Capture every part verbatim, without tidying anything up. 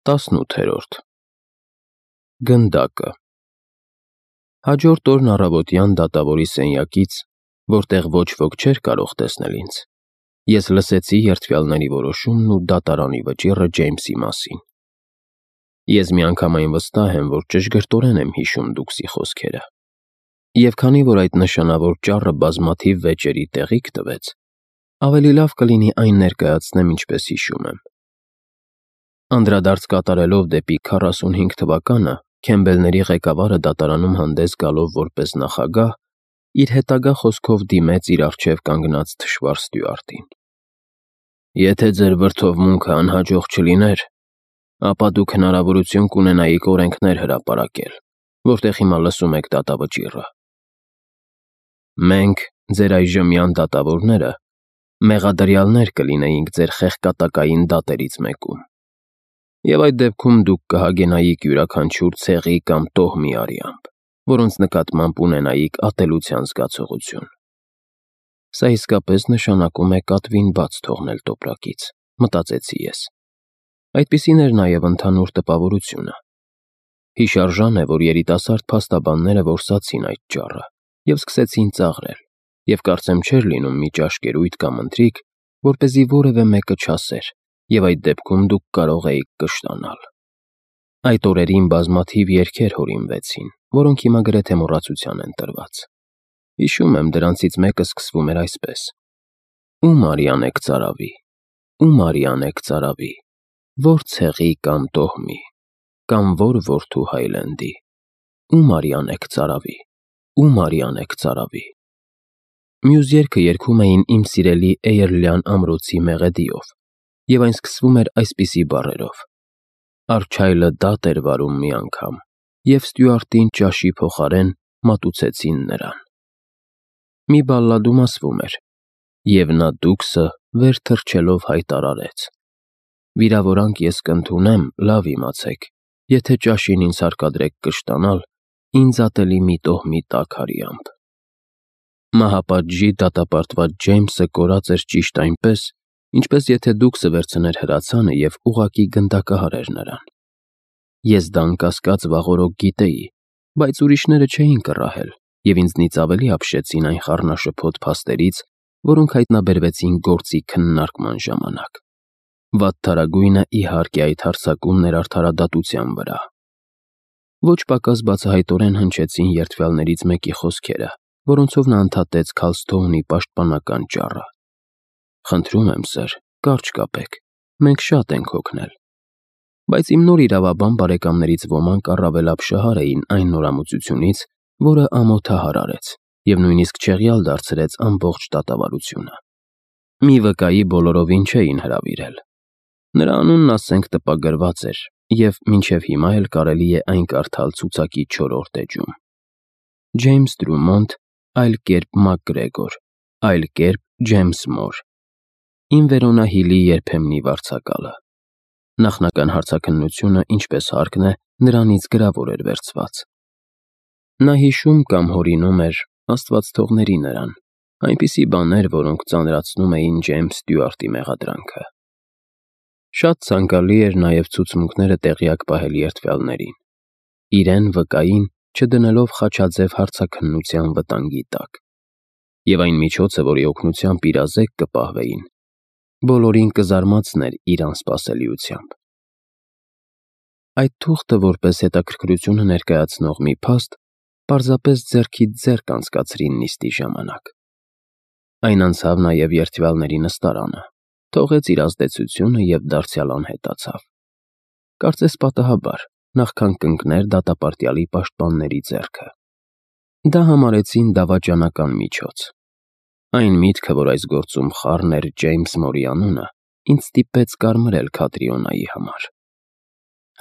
Տասնութերորդ Գնդակը Հաջորդ օրն առավոտյան դատավորի սենյակից, որտեղ ոչ ոք չէր կարող տեսնել ինձ, ես լսեցի երդվյալների որոշումն ու դատարանի վճիռը Ջեյմսի մասին։ Ես միանգամայն վստահ եմ, որ ճշգրտորեն եմ հիշում Դուքսի խոսքերը, և քանի որ այդ նշանավոր ճառը բազմաթիվ վեճերի տեղիք տվեց, ավելի լավ կլինի այն ներկայացնեմ, ինչպես հիշում եմ։ Անդրադարձ կատարելով դեպի քառասունհինգ թվականը, Քեմբելների ղեկավարը դատարանում հանդես գալով որպես նախագահ, իր հետագա խոսքով դիմեց իր առջև կանգնած թշվառ ստյուարտին. «Եթե ձեր վրդովմունքը անհաջող չլիներ, ապա դուք հնարավորություն կունենայիք օրենքներ հրապարակել, որտեղ հիմա լսում եք դատավճիռը։ Մենք, ձեր այժմյան դատավորները, մեղադրյալներ կլինեինք ձեր խեղկատակային դատերից մեկում, և այդ դեպքում դուք կհագենայիք յուրաքանչյուր ցեղի կամ տոհմի արյամբ, որոնց նկատմամբ ունենայիք ատելության զգացողություն։ Սա իսկապես նշանակում է կատվին բաց թողնել տոպրակից, մտածեցի ես։ Այդպիսին էր նաև ընդհանուր տպավորությունը։ Հիշարժան է, որ երիտասարդ փաստաբանները որսացին այդ ճառը և սկսեցին ծաղրել, և կարծեմ չէր լինում մի ճաշկերույթ կամ ընթրիք, որպեսզի որևէ մեկը չասեր, և այդ դեպքում դուք կարող էիք կշտանալ։ Այդ օրերին բազմաթիվ երգեր հորինվեցին, որոնք հիմա գրեթե մոռացության են տրված։ Հիշում եմ, դրանցից մեկը սկսվում էր այսպես. «Ում արյան եք ծարավի, ում արյան եք ծարավի, որ ցեղի կամ տոհմի, կամ որ որդու Հայլենդի, ում արյան եք ծարավի, ում արյան եք ծարավի»։ Մյուս երգը երգում էին իմ սիրելի Էյրլյան ամրոցի մեղեդիով, և այն սկսվում էր այսպիսի բառերով. «Արջայլը դատ էր վարում մի անգամ, և ստյուարտին ճաշի փոխարեն մատուցեցին նրան»։ Մի բալլադում ասվում էր. «Եվ նա Դուքսը վեր թռչելով հայտարարեց. «Վիրավորանք ես կընդունեմ, լավ իմացեք, եթե ճաշին ինձ հարկադրեք կշտանալ, ինձ ատելի մի տոհմի տաք արյամբ»։ Մահապատժի դատապարտված Ջեյմսը կորած էր ճիշտ այնպես, ինչպես եթե Դուքսը վերցներ հրացանը և ուղղակի գնդակահարեր նրան։ Ես դա անկասկած վաղօրոք գիտեի, բայց ուրիշները չէին կռահել, և ինձնից ավելի ապշեցին այն խառնաշփոթ փաստերից, որոնք հայտնաբերվեցին գործի քննարկման ժամանակ։ Վատթարագույնը, իհարկե, այդ հարձակումն էր արդարադատության վրա։ Ոչ պակաս բացահայտորեն հնչեցին երդվյալներից մեկի խոսքերը, որոնցով նա ընդհատեց Քալսթոունի պաշտպանական ճառը. «Խնդրում եմ, սըր, կարճ կապեք, մենք շատ ենք հոգնել»։ Բայց իմ նոր իրավաբան բարեկամներից ոմանք առավել ապշահար էին այն նորամուծությունից, որը ամոթահար արեց և նույնիսկ չեղյալ դարձրեց ամբողջ դատավարությունը։ Մի վկայի բոլորովին չէին հրավիրել։ Նրա անունն, ասենք, տպագրված էր, և մինչև հիմա էլ կարելի է այն կարդալ ցուցակի չորրորդ էջում. Ջեյմս Դրումոնդ, այլ կերպ Մակգրեգոր, այլ կերպ Ջեյմս Մոր, Ին Վերոնա Հիլի երբեմնի վարձակալը։ Նախնական հարցաքննությունը, ինչպես հարկն է, նրանից գրավոր էր վերցված։ Նա հիշում կամ հորինում էր, Աստված թողների նրան, այնպիսի բաներ, որոնք ծանրացնում էին Ջեյմս Ստյուարտի մեղադրանքը։ Շատ ցանկալի էր նաև ցուցմունքները տեղյակ պահել երդվյալներին, իրեն վկային չդնելով խաչաձև հարցաքննության վտանգի տակ, և այն միջոցը, որի օգնությամբ իրազեկ կպահվեին, բոլորին կզարմացներ իր անսպասելիությամբ։ Այդ թուղթը, որպես հետաքրքրությունը ներկայացնող մի փաստ, պարզապես ձեռքից ձեռք անցկացրին նիստի ժամանակ։ Այն անցավ նաև երդվյալների նստարանը, թողեց իր ազդեցությունը և դարձյալ անհետացավ։ Կարծես պատահաբար, նախքան կընկներ դատապարտյալի պաշտպանների ձեռքը։ Դա համարեցին դավաճանական միջոց։ Այն միտքը, որ այս գործում խառն էր Ջեյմս Մորի անունը, ինձ ստիպեց կարմրել Քատրիոնայի համար։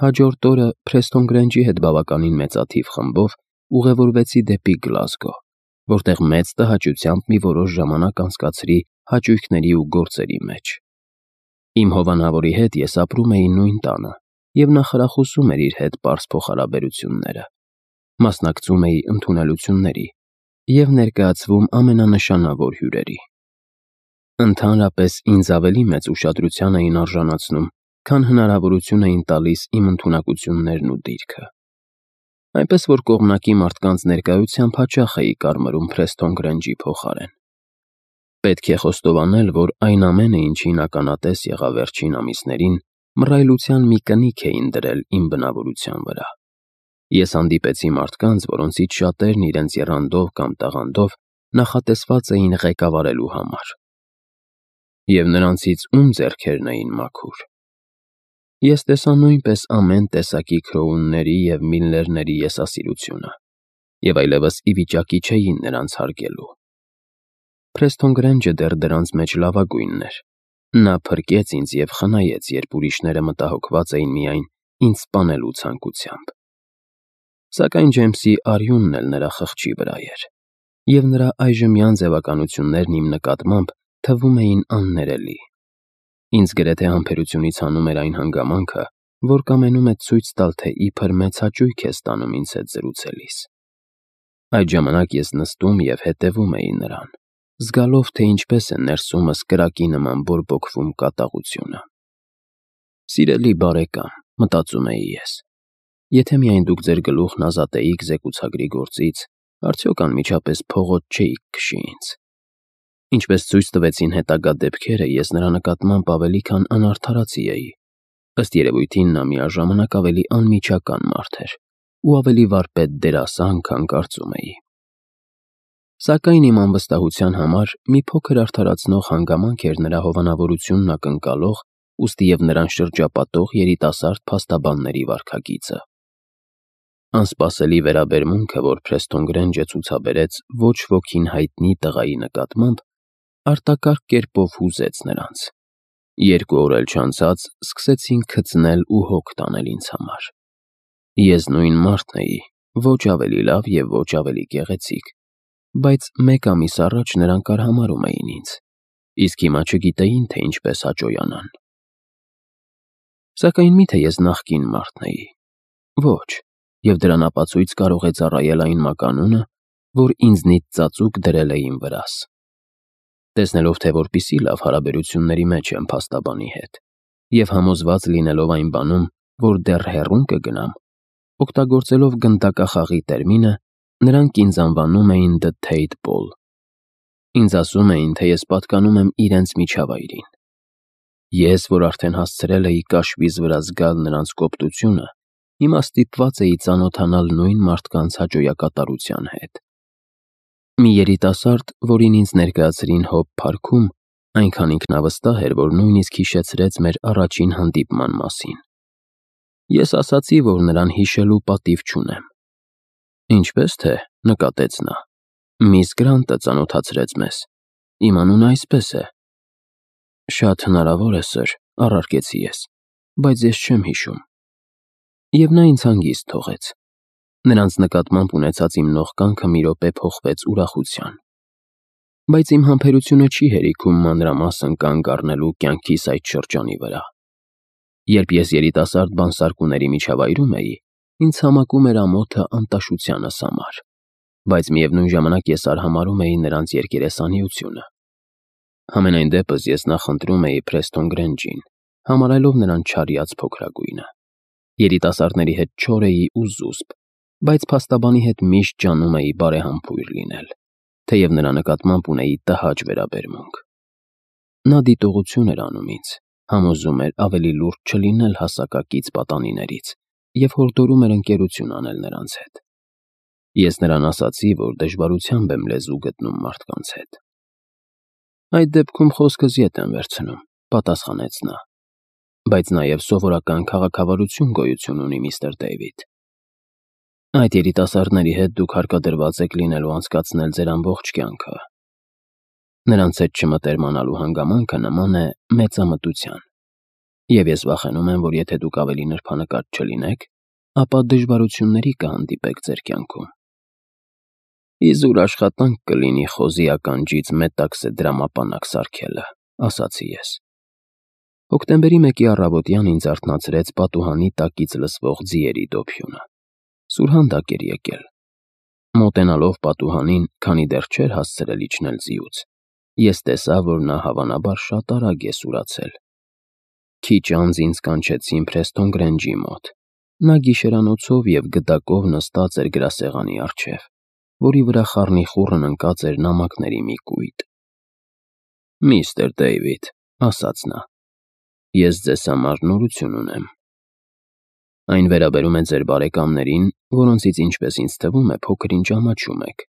Հաջորդ օրը Փրեստոն Գրենջի հետ բավականին մեծաթիվ խմբով ուղևորվեցի դեպի Գլազգո, որտեղ մեծ տհաճությամբ մի որոշ ժամանակ անցկացրի հաճույքների ու գործերի մեջ։ Իմ հովանավորի հետ ես ապրում էի նույն տանը, և նա խրախուսում էր իր հետ պարզ փոխհարաբերությունները, մասնակցում էի ընդունելությունների և ներկայացվում ամենանշանավոր հյուրերի։ Ընդհանրապես ինձ ավելի մեծ ուշադրության էին արժանացնում քան հնարավորություն էին տալիս իմ ընդունակություններն ու դիրքը։ Այնպես որ կողմնակի մարդկանց ներկայությամբ հաճախ էի կարմրում Փրեսթոն Գրենջի փոխարեն։ Պետք է խոստովանել, որ այն ամենը, ինչին ականատես եղա վերջին ամիսներին, մռայլության մի կնիք էին դրել իմ բնավորության վրա։ Ես հանդիպեցի մարդկանց, որոնցից շատերն իրենց եռանդով կամ տաղանդով նախատեսված էին ղեկավարելու համար։ Եվ նրանցից ում ձեռքերն էին մաքուր։ Ես տեսա նույնպես ամեն տեսակի Քրոունների և Միլլերների եսասիրությունը, և այլևս ի վիճակի չէի նրանց հարգելու։ Փրեսթոն Գրենջը դեռ դրանց մեջ լավագույնն էր։ Նա փրկեց ինձ և խնայեց, երբ ուրիշները մտահոգված էին միայն ինձ սպանելու ցանկությամբ։ Սակայն Ջեյմսի արյունն էլ նրա խղճի վրա էր, և նրա այժմյան ձևականություններն իմ նկատմամբ թվում էին աններելի։ Ինձ գրեթե համբերությունից հանում էր այն հանգամանքը, որ կամենում է ցույց տալ, թե իբր մեծ հաճույք է ստանում ինձ հետ զրուցելիս։ Այդ ժամանակ ես նստում և հետևում էի նրան, զգալով, թե ինչպես է ներսումս կրակի նման բորբոքվում կատաղությունը։ «Սիրելի բարեկամ», մտածում էի ես, եթե միայն դուք ձեր գլուխն ազատեիք զեկուցագրի գործից, արդյոք անմիջապես փողոց չէիք քշի ինձ։ Ինչպես ցույց տվեցին հետագա դեպքերը, ես նրա նկատմամբ ավելի քան անարդարացի էի։ Ըստ երևույթին նա միաժամանակ ավելի անմիջական մարդ էր ու ավելի վարպետ դերասան, քան կարծում էի։ Սակայն իմ անվստահության համար մի փոքր արդարացնող հանգամանք էր նրա հովանավորությունն ակնկալող, ուստի և նրան շրջապատող երիտասարդ փաստաբանների վարքագիծը։ Անսպասելի վերաբերմունքը, որ Փրեսթոն Գրենջը ցուցաբերեց ոչ ոքին հայտնի տղայի նկատմամբ, արտակարգ կերպով հուզեց նրանց։ Երկու օր էլ չանցած սկսեցին քծնել ու հոգ տանել ինձ համար։ Ես նույն մարդն էի, ոչ ավելի լավ և ոչ ավելի գեղեցիկ, բայց մեկ ամիս առաջ նրանք արհամարհում էին ինձ, իսկ հիմա չգիտեին, թե ինչպես հաճոյանան։ Սակայն մի՞թե ես նախկին մարդն էի։ Ոչ, և դրան ապացույց կարող է ծառայել այն մականունը, որ ինձնից ծածուկ դրել էին վրաս։ Տեսնելով, թե որպիսի լավ հարաբերությունների մեջ եմ փաստաբանի հետ, և համոզված լինելով այն բանում, որ դեռ հեռուն կգնամ, օգտագործելով գնդակախաղի տերմինը, նրանք ինձ անվանում էին The Tate Ball։ Ինձ ասում էին, թե ես պատկանում եմ իրենց միջավայրին։ Ես, որ արդեն հասցրել էի կաշվիզ վրա զգալ նրանց կոպտությունը, հիմա ստիպված էի ծանոթանալ նույն մարդկանց հաճոյակատարության հետ։ Մի երիտասարդ, որին ինձ ներկայացրին Հոբ փարքում, այնքան ինքնավստահ էր, որ նույնիսկ հիշեցրեց մեր առաջին հանդիպման մասին։ Ես ասացի, որ նրան հիշելու պատիվ չունեմ։ Ինչպես թե, նկատեց նա, միս Գրանտը ծանոթացրեց մեզ։ Իմ անունը այսպես է։ Շատ հնարավոր է, սըր, առարկեցի ես, բայց ես չեմ հիշում։ Եվ նա ինձ հանգիստ թողեց։ Նրանց նկատմամբ ունեցած իմ նողկանքը մի րոպե փոխվեց ուրախության։ Բայց իմ համբերությունը չի հերիքում մանրամասն կանգ առնելու կյանքիս այդ շրջանի վրա։ Երբ ես երիտասարդ բանսարկուների միջավայրում էի, ինձ համակում էր ամոթը անտաշությանս համար, բայց միևնույն ժամանակ ես արհամարհում էի նրանց երկերեսանիությունը։ Համենայն դեպս ես նախընտրում էի Փրեսթոն Գրենջին, համարելով նրան չարյաց փոքրագույնը։ Երիտասարդների հետ չոր էի ու զուսպ, բայց փաստաբանի հետ միշտ ջանում էի բարեհամբույր լինել, թեև նրա նկատմամբ ունեի տհաճ վերաբերմունք։ Նա դիտողություն էր անում ինձ, համոզում էր ավելի լուրջ չլինել հասակակից պատանիներից և հորդորում էր ընկերություն անել նրանց հետ։ Ես նրան ասացի, որ դժվարությամբ եմ լեզու գտնում մարդկանց հետ։ Այդ դեպքում խոսքս ետ եմ վերցնում, պատասխանեց նա, բայց նաև սովորական քաղաքավարություն գոյություն ունի, միստր Դեյվիդ։ Այդ երիտասարդների հետ դուք հարկադրված եք լինելու անցկացնել ձեր ամբողջ կյանքը։ Նրանց հետ չմտերմանալու հանգամանքը նման է մեծամտության, և ես վախենում եմ, որ եթե դուք ավելի նրբանկատ չլինեք, ապա դժվարությունների կհանդիպեք ձեր կյանքում։ Իզուր աշխատանք կլինի խոզի ականջից մետաքսե դրամապանակ սարքելը, ասացի ես։ Հոկտեմբերի մեկի առավոտյան ինձ արթնացրեց պատուհանի տակից լսվող ձիերի դոփյունը։ Սուրհանդակ էր եկել։ Մոտենալով պատուհանին, քանի դեռ չէր հասցրել իջնել ձիուց, ես տեսա, որ նա հավանաբար շատ արագ է սուրացել։ Քիչ անց ինձ կանչեցին Փրեստոն Գրենջի մոտ։ Նա գիշերանոցով և գդակով նստած էր գրասեղանի առջև, որի վրա խառնիխուռն ընկած էր նամակների մի կույտ։ «Միստր Դեյվիդ», ասաց նա, «ես ձեզ համար նորություն ունեմ։ Այն վերաբերում է ձեր բարեկամներին, որոնցից, ինչպես ինձ թվում է, փոքր-ինչ ամաչում եք,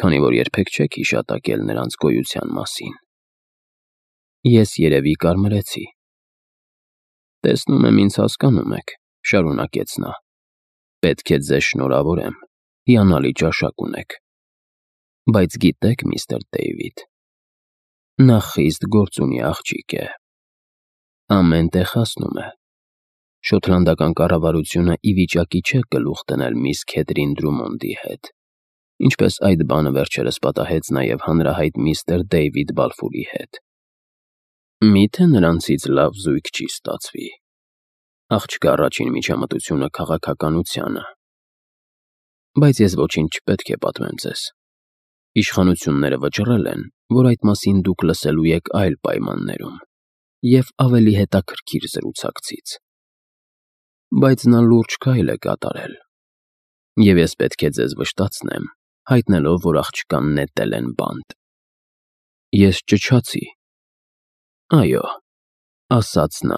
քանի որ երբեք չեք հիշատակել նրանց գոյության մասին»։ Ես երևի կարմրեցի։ «Տեսնում եմ, ինձ հասկանում եք», շարունակեց նա։ «Պետք է ձեզ շնորհավորեմ, հիանալի ճաշակ ունեք։ Բայց գիտե՞ք, միստր Դեյվիդ, նա խիստ գործունի աղջիկ է։ Ամեն տեղ հասնում է։ Շոթլանդական կառավարությունը ի վիճակի չէ գլուխ դնել միս Քեթրին Դրումոնդի հետ, ինչպես այդ բանը վերջերս պատահեց նաև հանրահայտ միստր Դեյվիդ Բալֆուրի հետ։ Մի՞թե նրանցից լավ զույգ չի ստացվի։ Աղջկա առաջին միջամտությունը քաղաքականությանը։ Բայց ես ոչինչ չպետք է պատմեմ ձեզ։ Իշխանությունները վճռել են, որ այդ մասին դուք լսելու եք այլ պայմաններում և ավելի հետաքրքիր զրուցակցից։ Բայց նա լուրջ քայլ է կատարել, և ես պետք է ձեզ վշտացնեմ, հայտնելով, որ աղջկան նետել են բանտ։ Ես ճչացի։ «Այո», ասաց նա,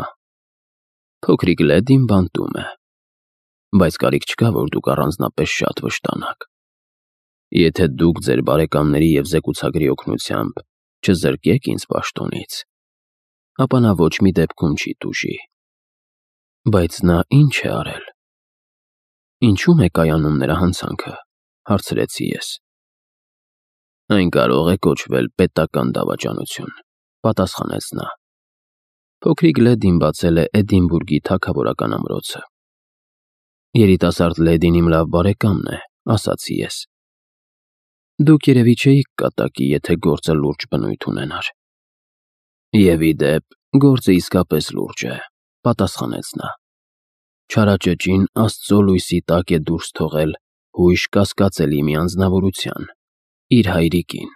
«փոքրիկ լեդին բանտում է, բայց կարիք չկա, որ դուք առանձնապես շատ վշտանաք։ Եթե դուք ձեր բարեկամների և զեկուցագրի օգնությամբ չզրկեք ինձ պաշտոնից, ապա նա ոչ մի դեպքում չի տուժի»։ Բայց նա ի՞նչ է արել։ «Ինչու՞մ է կայանում նրա հանցանքը», հարցրեցի ես։ «Այն կարող է կոչվել պետական դավաճանություն», պատասխանեց նա։ Փոքրիկ լեդին բացել է Էդինբուրգի թագավորական ամրոցը։ Երիտասարդ լեդին իմ լավ բարեկամն է, ասացի ես։ Դուք երևի չէիք կատակի, եթե գործը լուրջ բնույթ ունենար։ Եվ ի դեպ, գործը իսկապես լուրջ է, պատասխանեց նա։ Չարաճճին Աստծո լույսի տակ է դուրս թողել հույժ կասկածելի մի անձնավորության՝ իր հայրիկին։